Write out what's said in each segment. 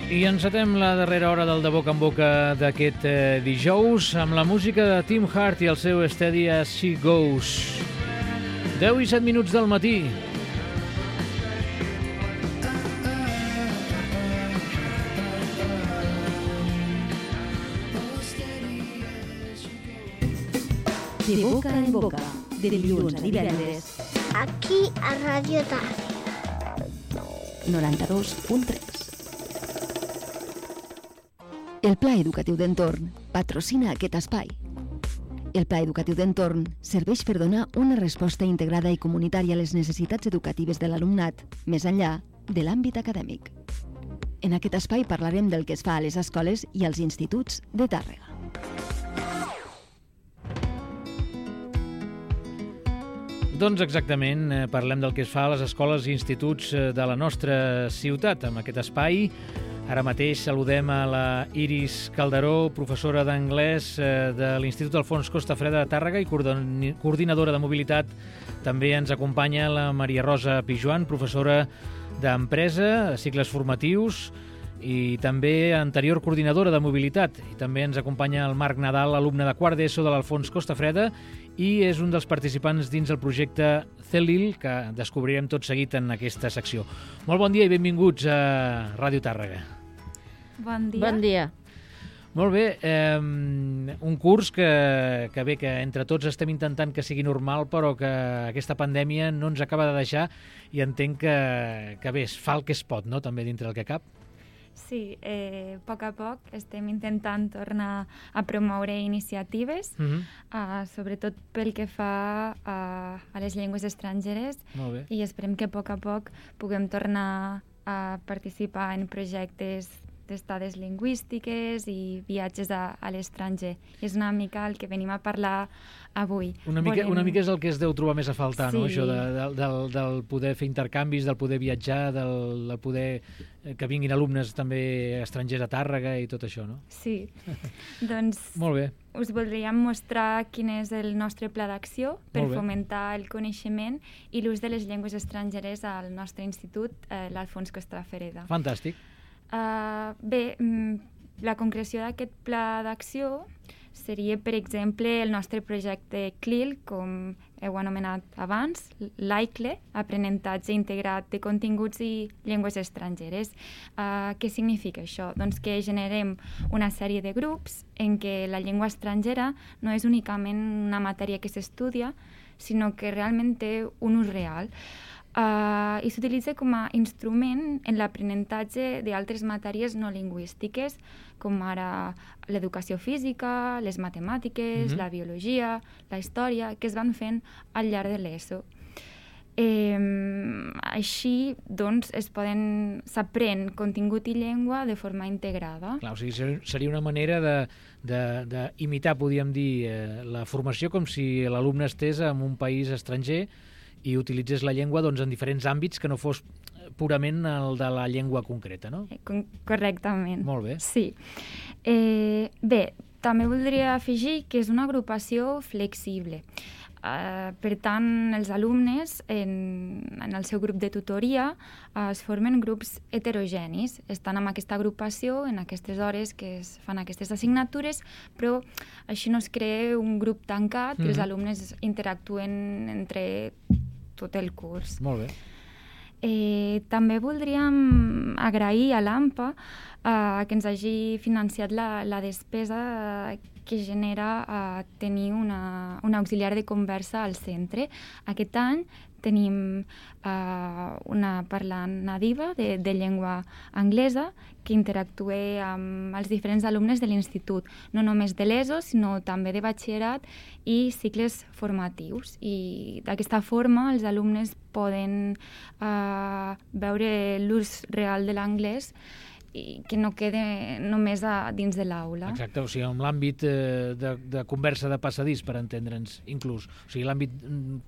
I encetem la darrera hora del De Boca en Boca d'aquest dijous amb la música de Tim Hart i el seu Steady As She Goes. 10 i 7 minuts del matí. De boca en boca, de dilluns a divendres. Aquí a Ràdio Tàrrega. 92.3. El Pla Educatiu d'Entorn patrocina aquest espai. El Pla Educatiu d'Entorn serveix per donar una resposta integrada i comunitària a les necessitats educatives de l'alumnat, més enllà de l'àmbit acadèmic. En aquest espai parlarem del que es fa a les escoles i als instituts de Tàrrega. Doncs exactament, parlem del que es fa a les escoles i instituts de la nostra ciutat. Amb aquest espai, ara mateix saludem a la Iris Calderó, professora d'anglès de l'Institut Alfons Costafreda de Tàrrega i coordinadora de mobilitat. També ens acompanya la Maria Rosa Pijuan, professora d'empresa, cicles formatius, i també anterior coordinadora de mobilitat. I també ens acompanya el Marc Nadal, alumne de quart d'ESO de l'Alfons Costafreda, i és un dels participants dins el projecte CELIL, que descobrirem tot seguit en aquesta secció. Molt bon dia i benvinguts a Ràdio Tàrrega. Bon dia. Bon dia. Molt bé, un curs que entre tots estem intentant que sigui normal, però que aquesta pandèmia no ens acaba de deixar, i entenc que bé, es fa el que es pot, no?, també dintre del que cap. Sí, a poc estem intentant tornar a promoure iniciatives, sobretot pel que fa a les llengües estrangeres. Molt bé. I esperem que a poc puguem tornar a participar en projectes d'estades lingüístiques i viatges a l'estranger. I és una mica el que venim a parlar avui. Una mica és el que es deu trobar més a faltar, sí. No? Això del poder fer intercanvis, del poder viatjar, del poder que vinguin alumnes també estrangers a Tàrrega i tot això, no? Sí. Doncs molt bé. Us voldríem mostrar quin és el nostre pla d'acció per fomentar el coneixement i l'ús de les llengües estrangeres al nostre institut, l'Alfons Costafreda. Fantàstic. Bé, la concreció d'aquest pla d'acció seria, per exemple, el nostre projecte CLIL, com heu anomenat abans, l'AICLE, aprenentatge integrat de continguts i llengües estrangeres. Què significa això? Doncs que generem una sèrie de grups en què la llengua estrangera no és únicament una matèria que s'estudia, sinó que realment té un ús real. I s'utilitza com a instrument en l'aprenentatge d'altres matèries no lingüístiques, com ara l'educació física, les matemàtiques, la biologia, la història, que es van fent al llarg de l'ESO. Així, doncs, s'aprèn contingut i llengua de forma integrada. Clar, o sigui, seria una manera d'imitar, podríem dir, la formació com si l'alumne estés en un país estranger i utilitzés la llengua en diferents àmbits que no fos purament el de la llengua concreta, no? Correctament. Molt bé. Sí. Bé, també voldria afegir que és una agrupació flexible. Per tant, els alumnes en el seu grup de tutoria es formen grups heterogenis. Estan en aquesta agrupació en aquestes hores que es fan aquestes assignatures, però així no es crea un grup tancat i els alumnes interactuen entre tot el curs. Molt bé. També voldríem agrair a l'AMPA que ens hagi financiat la despesa que genera tenir una auxiliar de conversa al centre. Aquest any tenim una parlant nadiva de llengua anglesa que interactua amb els diferents alumnes de l'institut, no només de l'ESO, sinó també de batxillerat i cicles formatius. I d'aquesta forma els alumnes poden veure l'ús real de l'anglès i que no quede només dins de l'aula. Exacte, o sigui, en l'àmbit de conversa de passadís, per entendre'ns, inclús. O sigui, l'àmbit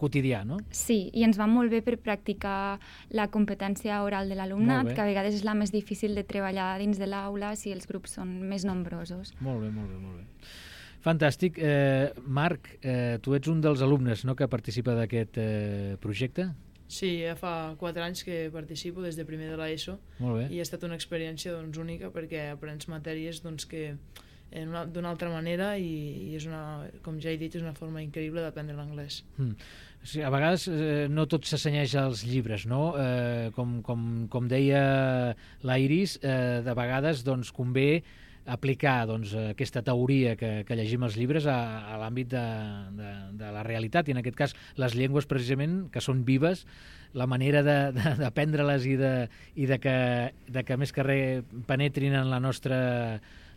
quotidià, no? Sí, i ens va molt bé per practicar la competència oral de l'alumnat, que a vegades és la més difícil de treballar dins de l'aula si els grups són més nombrosos. Molt bé, molt bé, molt bé. Fantàstic. Marc, tu ets un dels alumnes, no?, que participa d'aquest projecte? Sí, ja fa 4 anys que participo des de primer de l'ESO i ha estat una experiència doncs, única perquè aprens matèries doncs, que d'una altra manera i és una, com ja he dit, és una forma increïble d'aprendre l'anglès. Sí, a vegades no tot s'assenyeix als llibres, no? Com deia la Iris, de vegades doncs, convé aplicar doncs, aquesta teoria que llegim als llibres a l'àmbit de la realitat, i en aquest cas les llengües precisament, que són vives, la manera d'aprendre-les i de que més que res penetrin en el nostre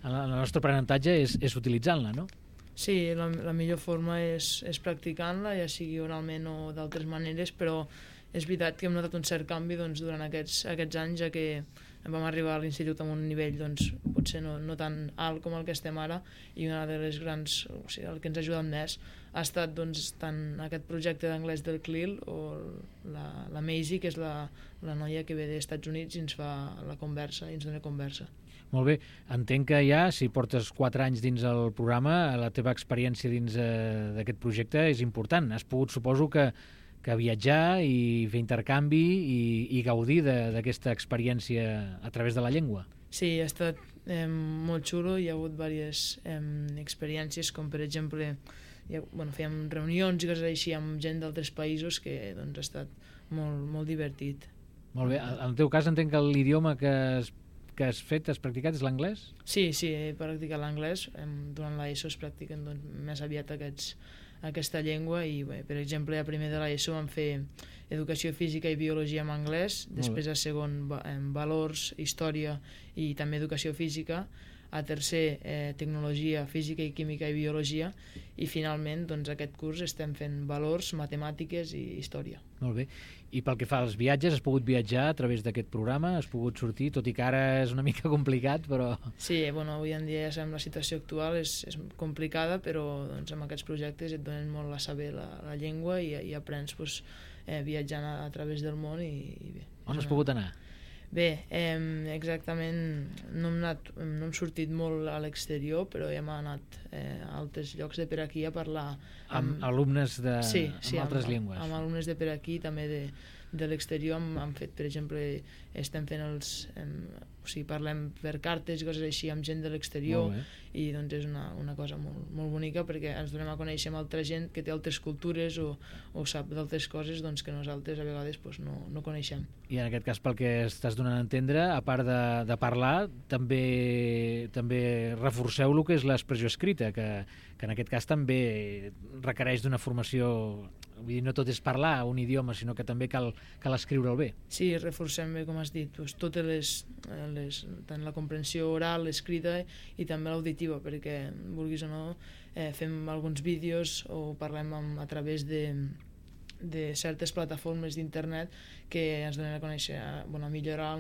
aprenentatge és utilitzant-la, no? Sí, la millor forma és practicant-la, ja sigui oralment o d'altres maneres, però és veritat que hem notat un cert canvi doncs, durant aquests anys, ja que vam arribar a l'institut amb un nivell doncs, potser no tan alt com el que estem ara, i una de les grans, o sigui, el que ens ha ajudat més ha estat doncs, tant aquest projecte d'anglès del CLIL o la Maisie, que és la noia que ve dels Estats Units i ens fa la conversa i ens dona conversa. Molt bé, entenc que ja, si portes 4 anys dins el programa, la teva experiència dins d'aquest projecte és important. Has pogut, suposo, que viatjar i fer intercanvi i gaudir d'aquesta experiència a través de la llengua. Sí, ha estat molt xulo, hi ha hagut diverses experiències, com per exemple fèiem reunions i coses així amb gent d'altres països que doncs, ha estat molt divertit. Molt bé, en el teu cas entenc que l'idioma que has practicat és l'anglès? Sí, he practicat l'anglès. Durant l'ESO es practiquen doncs, més aviat aquesta llengua i, bé, per exemple, a primer de l'ESO vam fer educació física i biologia en anglès, després a segon valors, història i també educació física, a tercer tecnologia, física i química i biologia, i finalment doncs, aquest curs estem fent valors, matemàtiques i història. Molt bé. I pel que fa als viatges, has pogut viatjar a través d'aquest programa? Has pogut sortir, tot i que ara és una mica complicat, però... Sí, avui en dia ja sabem la situació actual, és complicada, però doncs, amb aquests projectes et donen molt a saber la llengua i aprens viatjant a través del món. Bé, on has pogut anar? Bé, exactament no hem sortit molt a l'exterior, però hem anat a altres llocs de per aquí a parlar amb alumnes amb altres llengües. Amb alumnes de per aquí, també de l'exterior. Hem fet, per exemple, estem fent parlem per cartes i coses així amb gent de l'exterior, i doncs és una cosa molt bonica perquè ens donem a conèixer amb altra gent que té altres cultures o sap d'altres coses doncs, que nosaltres a vegades no coneixem. I en aquest cas, pel que estàs donant a entendre, a part de parlar, també reforceu el que és l'expressió escrita, que en aquest cas també requereix d'una formació. Vull dir, no tot és parlar un idioma, sinó que també cal escriure'l bé. Sí, reforcem bé, com has dit, totes tant la comprensió oral, l'escrita i també l'auditiva, perquè, vulguis o no, fem alguns vídeos o parlem a través de certes plataformes d'internet que ens donen a conèixer, a millorar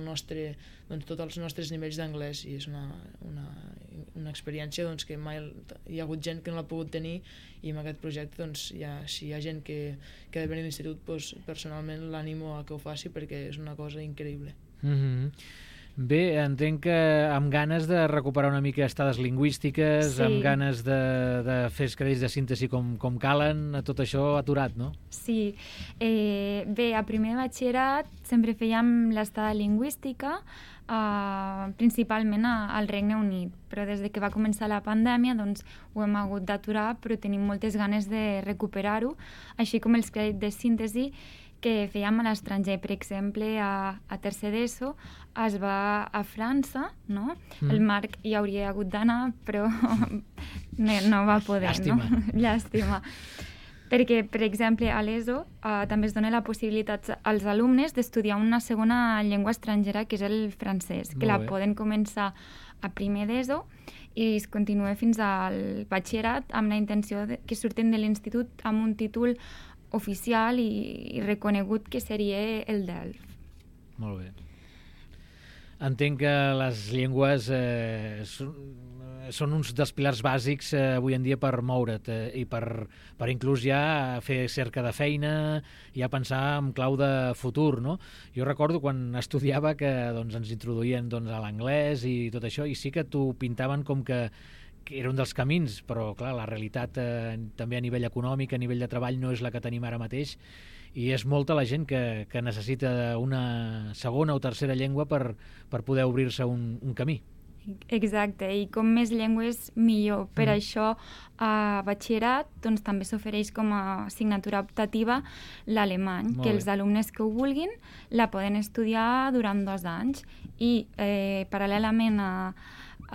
tots els nostres nivells d'anglès, i és una experiència doncs, que mai hi ha hagut gent que no l'ha pogut tenir, i amb aquest projecte doncs, si hi ha gent que ha de venir a l'institut, doncs, personalment l'animo a que ho faci perquè és una cosa increïble. Bé, entenc que amb ganes de recuperar una mica estades lingüístiques, amb ganes de fer els crèdits de síntesi com calen, tot això aturat, no? Sí. Bé, a primer de batxillerat sempre fèiem l'estada lingüística, principalment al Regne Unit, però des que va començar la pandèmia doncs, ho hem hagut d'aturar, però tenim moltes ganes de recuperar-ho, així com els crèdits de síntesi que fèiem a l'estranger. Per exemple, a tercer d'ESO es va a França, no? El Marc hi hauria hagut d'anar, però no va poder. Llàstima. No? Llàstima. Perquè, per exemple, a l'ESO també es dona la possibilitat als alumnes d'estudiar una segona llengua estrangera, que és el francès, que la poden començar a primer d'ESO i es continua fins al batxillerat amb la intenció que surten de l'institut amb un títol oficial i reconegut, que seria el DELF. Molt bé. Entenc que les llengües són uns dels pilars bàsics avui en dia per moure't i per inclús ja fer cerca de feina, ja pensar en clau de futur, no? Jo recordo quan estudiava que doncs, ens introduïen doncs, a l'anglès i tot això, i sí que t'ho pintaven com que era un dels camins, però clar, la realitat també a nivell econòmic, a nivell de treball, no és la que tenim ara mateix, i és molta la gent que necessita una segona o tercera llengua per poder obrir-se un camí. Exacte, i com més llengües millor. Per això a batxillerat doncs, també s'ofereix com a assignatura optativa l'alemany, que els alumnes que ho vulguin la poden estudiar durant 2 anys i paral·lelament a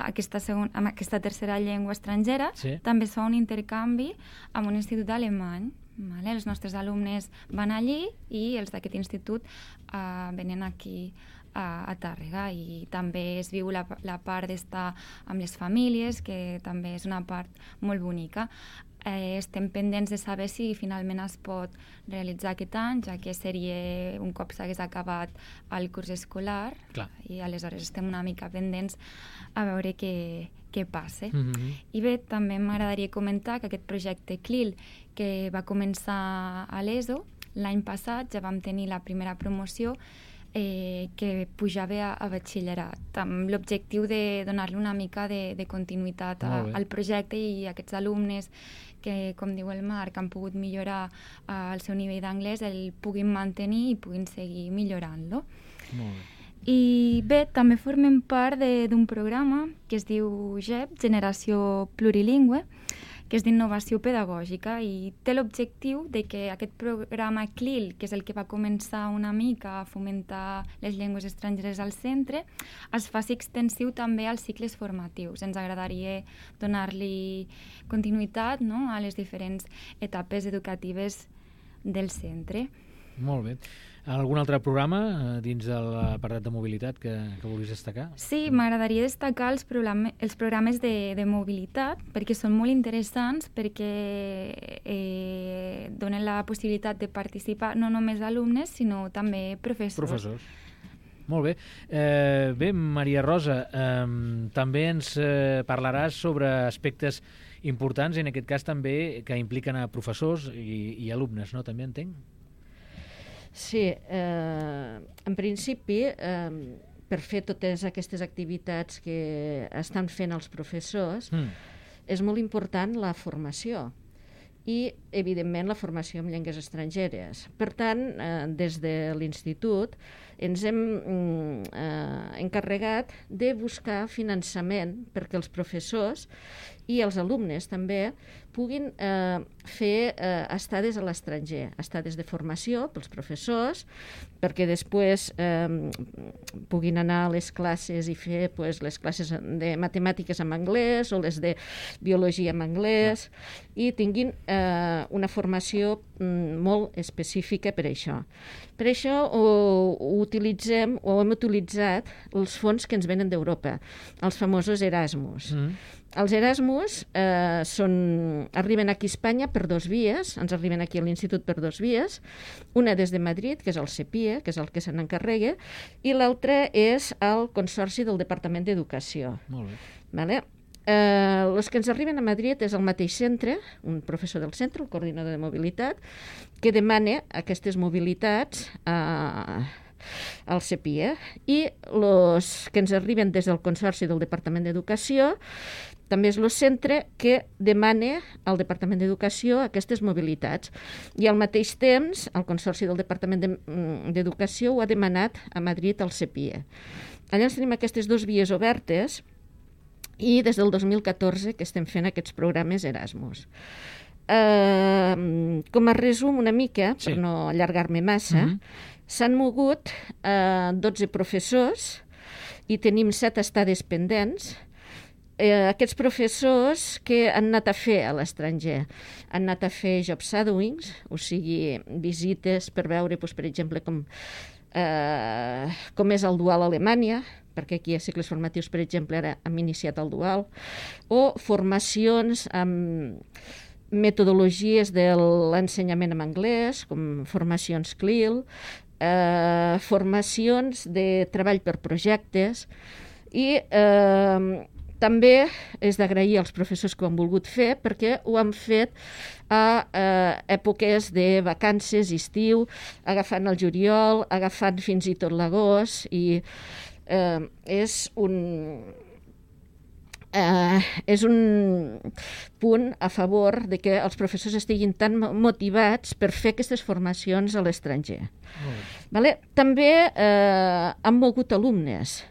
aquesta tercera llengua estrangera també es fa un intercanvi amb un institut alemany. Vale? Els nostres alumnes van allí i els d'aquest institut venen aquí a Tàrrega, i també es viu la part d'estar amb les famílies, que també és una part molt bonica. Estem pendents de saber si finalment es pot realitzar aquest any, ja que seria un cop s'hagués acabat el curs escolar. Clar. I aleshores estem una mica pendents a veure què passa. I bé, també m'agradaria comentar que aquest projecte CLIL, que va començar a l'ESO, l'any passat ja vam tenir la primera promoció que pujava a batxillerat, amb l'objectiu de donar-li una mica de continuïtat al projecte, i aquests alumnes que, com diu el Marc, han pogut millorar el seu nivell d'anglès, el puguin mantenir i puguin seguir millorant-lo. Molt bé. I bé, també formem part d'un programa que es diu GEP, Generació Plurilingüe, que és d'innovació pedagògica, i té l'objectiu de que aquest programa CLIL, que és el que va començar una mica a fomentar les llengües estrangeres al centre, es faci extensiu també als cicles formatius. Ens agradaria donar-li continuïtat, no?, a les diferents etapes educatives del centre. Molt bé. Algun altre programa dins de l'apartat de mobilitat que vulguis destacar? Sí, m'agradaria destacar els programes de mobilitat, perquè són molt interessants, perquè donen la possibilitat de participar no només alumnes, sinó també professors. Molt bé. Bé, Maria Rosa, també ens parlaràs sobre aspectes importants, i en aquest cas també que impliquen a professors i alumnes, no? També entenc? Sí, en principi, per fer totes aquestes activitats que estan fent els professors, és molt important la formació i, evidentment, la formació en llengües estrangeres. Per tant, des de l'institut ens hem encarregat de buscar finançament perquè els professors i els alumnes també puguin fer estades a l'estranger, estades de formació pels professors, perquè després puguin anar a les classes i fer les classes de matemàtiques en anglès o les de biologia en anglès, i tinguin una formació molt específica per això. Per això hem utilitzat els fons que ens venen d'Europa, els famosos Erasmus. Els Erasmus arriben aquí a Espanya per 2 vies, ens arriben aquí a l'Institut per 2 vies, una des de Madrid, que és el CEPIE, que és el que se n'encarrega, i l'altra és el Consorci del Departament d'Educació. Molt bé. Vale? Els que ens arriben a Madrid és el mateix centre, un professor del centre, el coordinador de mobilitat, que demana aquestes mobilitats al CEPIE, i els que ens arriben des del Consorci del Departament d'Educació també és el centre que demana al Departament d'Educació aquestes mobilitats. I al mateix temps, el Consorci del Departament d'Educació ho ha demanat a Madrid al CEPIE. Llavors tenim aquestes 2 vies obertes, i des del 2014 que estem fent aquests programes Erasmus. Com a resum una mica, per no allargar-me massa, s'han mogut 12 professors i tenim 7 estades pendents. Aquests professors que han anat a fer a l'estranger, han anat a fer job shadowings, o sigui, visites per veure, per exemple, com és el dual a Alemanya, perquè aquí a cicles formatius, per exemple, ara hem iniciat el dual, o formacions amb metodologies de l'ensenyament en anglès, com formacions CLIL, formacions de treball per projectes, i també és d'agrair als professors que ho han volgut fer, perquè ho han fet a èpoques de vacances, estiu, agafant el juliol, agafant fins i tot l'agost, i és és un punt a favor de que els professors estiguin tan motivats per fer aquestes formacions a l'estranger. Vale? També han mogut alumnes.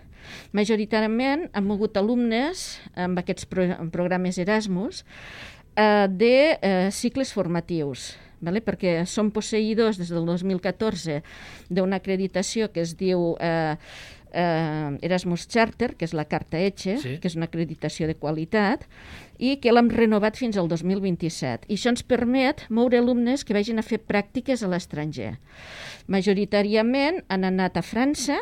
Majoritàriament han mogut alumnes amb aquests programes Erasmus de cicles formatius, vale? Perquè són posseïdors des del 2014 d'una acreditació que es diu Erasmus Charter, que és la carta ECHE, sí, que és una acreditació de qualitat, i que l'hem renovat fins al 2027. I això ens permet moure alumnes que vagin a fer pràctiques a l'estranger. Majoritàriament han anat a França,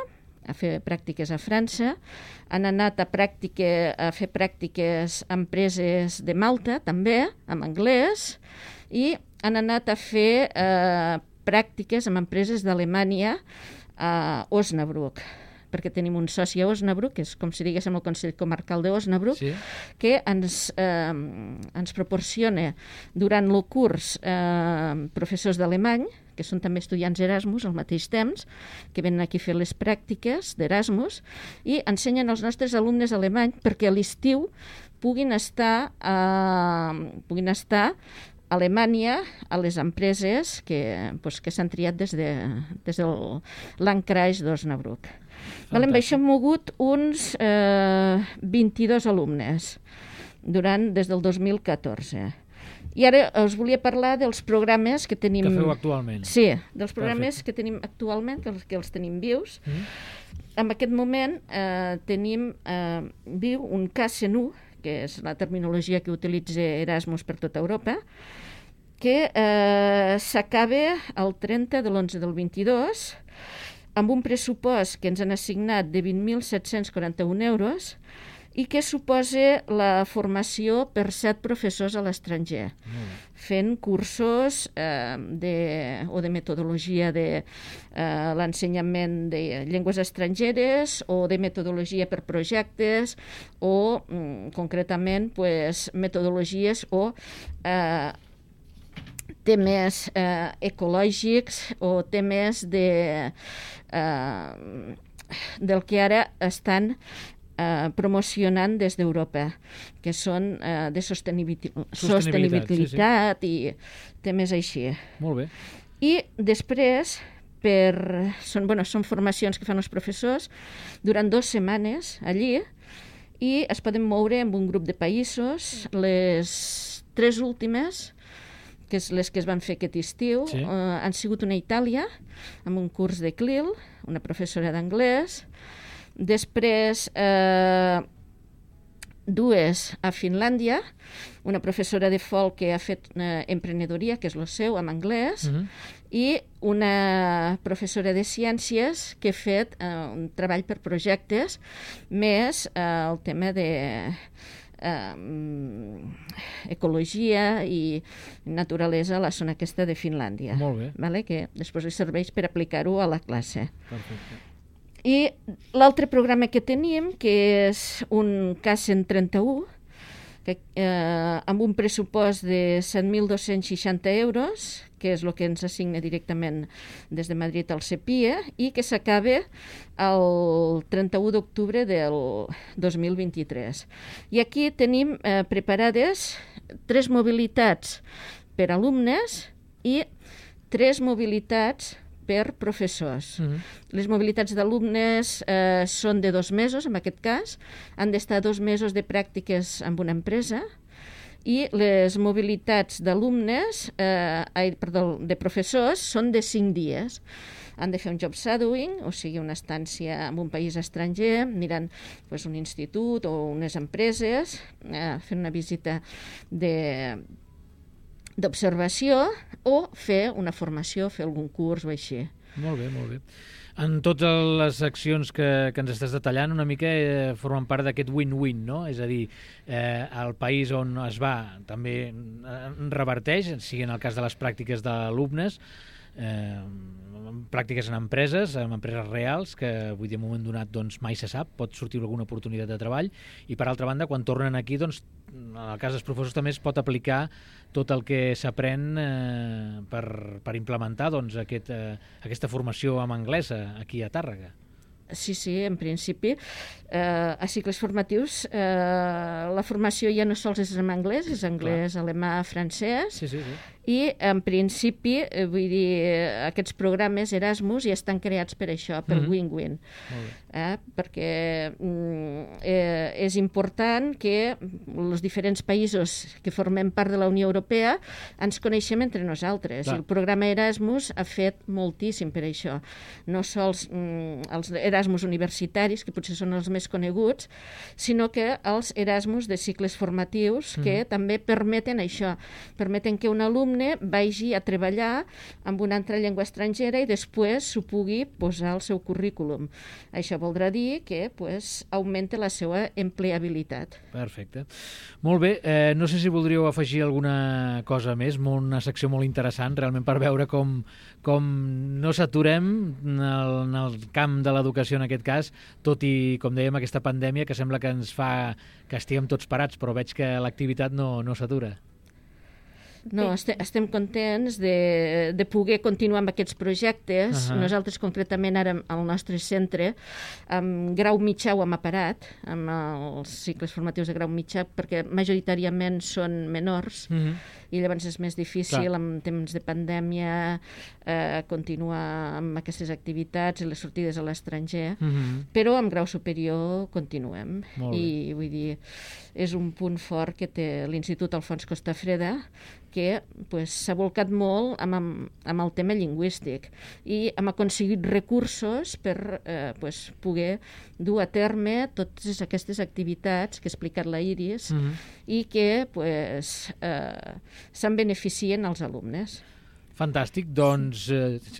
a fer pràctiques a França, han anat a fer pràctiques a empreses de Malta, també, en anglès, i han anat a fer pràctiques amb empreses d'Alemanya a Osnabrück, perquè tenim un soci a Osnabrück, que és com si diguéssim el Consell Comarcal d'Osnabrück, sí, que ens proporciona durant el curs professors d'alemany, que són també estudiants Erasmus al mateix temps, que venen aquí a fer les pràctiques d'Erasmus i ensenyen als nostres alumnes alemany perquè a l'estiu puguin estar a Alemanya a les empreses que s'han triat des de l'Ankreis d'Osnabrück. Amb això hem mogut uns 22 alumnes des del 2014. I ara us volia parlar dels programes que tenim... Que feu actualment. Sí, dels programes que tenim actualment, que els tenim vius. En aquest moment tenim viu un KSNU, que és la terminologia que utilitza Erasmus per tota Europa, que s'acaba el 30 de l'11 del 22, amb un pressupost que ens han assignat de 20.741 euros i que suposa la formació per 7 professors a l'estranger, fent cursos de metodologia de l'ensenyament de llengües estrangeres o de metodologia per projectes o, concretament, metodologies o temes ecològics o temes del que ara estan promocionant des d'Europa, que són de sostenibilitat i temes així. Molt bé. I després, són formacions que fan els professors durant 2 setmanes allí i es poden moure en un grup de països. Les 3 últimes, que és les que es van fer aquest estiu, sí, han sigut una a Itàlia, amb un curs de CLIL, una professora d'anglès. Després, 2 a Finlàndia, una professora de folk que ha fet emprenedoria, que és el seu, en anglès, i una professora de ciències que ha fet un treball per projectes, més el tema de ecologia i naturalesa a la zona aquesta de Finlàndia. Molt bé. Vale? Que després li serveix per aplicar-ho a la classe. Perfecte. I l'altre programa que tenim, que és un K131, amb un pressupost de 7.260 euros, que és el que ens assigna directament des de Madrid al CEPIE, i que s'acaba el 31 d'octubre del 2023. I aquí tenim preparades 3 mobilitats per alumnes i 3 mobilitats per professors. Les mobilitats d'alumnes són de 2 mesos, en aquest cas. Han d'estar 2 mesos de pràctiques amb una empresa i les mobilitats d'alumnes, de professors, són de 5 dies. Han de fer un job shadowing, o sigui, una estància en un país estranger, mirant un institut o unes empreses, fent una visita d'observació o fer una formació, fer algun curs o així. Molt bé, molt bé. En totes les accions que ens estàs detallant, una mica formen part d'aquest win-win, no? És a dir, el país on es va també reverteix, sigui en el cas de les pràctiques d'alumnes, pràctiques en empreses reals, que avui de moment donat mai se sap, pot sortir alguna oportunitat de treball, i per altra banda, quan tornen aquí, en el cas dels professors també es pot aplicar tot el que s'aprèn per implementar aquesta formació en anglès aquí a Tàrrega. Sí, en principi. A cicles formatius la formació ja no sols és en anglès, és anglès, alemà, francès, Sí. i en principi, vull dir, aquests programes Erasmus ja estan creats per això, per win-win. Perquè és important que els diferents països que formem part de la Unió Europea ens coneixem entre nosaltres. Clar. El programa Erasmus ha fet moltíssim per això. No sols els Erasmus universitaris, que potser són els més coneguts, sinó que els Erasmus de cicles formatius, que també permeten això, permeten que un alumne vagi a treballar amb una altra llengua estrangera i després s'ho pugui posar al seu currículum. Això voldrà dir que augmenta la seva empleabilitat. Perfecte. Molt bé, no sé si voldríeu afegir alguna cosa més, una secció molt interessant, realment per veure com no s'aturem en el camp de l'educació en aquest cas, tot i, com dèiem, aquesta pandèmia que sembla que ens fa que estiguem tots parats, però veig que l'activitat no s'atura. No, estem contents de poder continuar amb aquests projectes. Nosaltres, concretament, ara al nostre centre, amb grau mitjà ho hem parat, amb els cicles formatius de grau mitjà, perquè majoritàriament són menors, i llavors és més difícil, en temps de pandèmia, continuar amb aquestes activitats i les sortides a l'estranger, però amb grau superior continuem. I vull dir, és un punt fort que té l'Institut Alfons Costafreda, que s'ha volcat molt amb el tema lingüístic i hem aconseguit recursos per poder dur a terme totes aquestes activitats que ha explicat la Iris i que se'n beneficien els alumnes. Fantàstic, doncs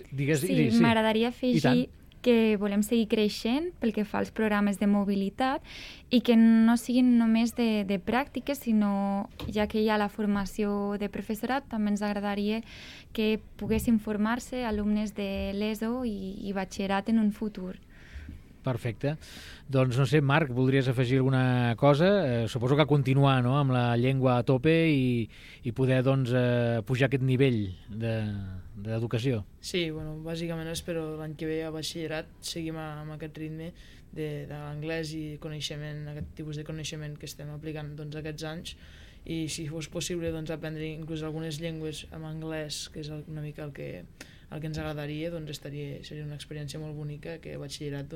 digues... Sí, m'agradaria afegir que volem seguir creixent pel que fa als programes de mobilitat i que no siguin només de pràctiques, sinó ja que hi ha la formació de professorat, també ens agradaria que poguessin formar-se alumnes de l'ESO i batxillerat en un futur. Perfecte. Doncs no sé, Marc, voldries afegir alguna cosa? Suposo que continuar amb la llengua a tope i poder pujar aquest nivell d'educació. Sí, bàsicament espero l'any que ve a batxillerat seguim amb aquest ritme de l'anglès i coneixement, aquest tipus de coneixement que estem aplicant aquests anys, i si fos possible aprendre inclús algunes llengües en anglès, que és una mica el que ens agradaria, seria una experiència molt bonica que a batxillerat